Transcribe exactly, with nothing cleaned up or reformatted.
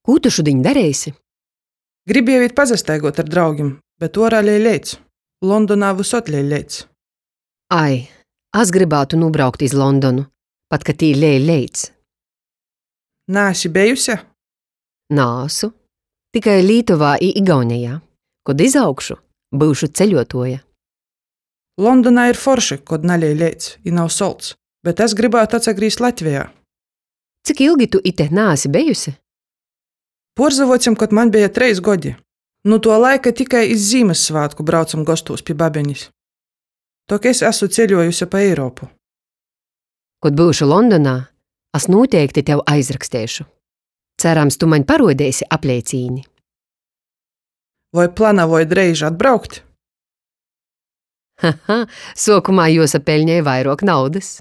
Kū tu šudiņ dareisi? Gribieju īt pasastaiguot ar draugim, bet uorā lej leits. Londonā vysod lej leits. Ai, as grybātu nūbraukt iz Londonu, pat ka tī lej leits. Naesi bejuse? Naasu. Tikai Lītuvā i Igaunejā. Kod izaugšu, byušu ceļuotuoja. Londonā ir forši, kod nalej leits i nav solts, bet es grybātu atsagrīzt Latvejā. Cik ilgi tu ite naesi bejuse? Puorsavuocem, kod maņ beja treis godi. Nu tuo laika tikai iz Zīmyssvātku braucam gostūs pi babenis. Tok es asu ceļuojuse pa Eiropu. Kod byušu Londonā, as nūteikti tev aizraksteišu. Cerams, tu maņ paruodeisi apleicīni. Voi planavoj dreiži atbraukt? Haha, suokumā juosapeļnej vairuok naudys.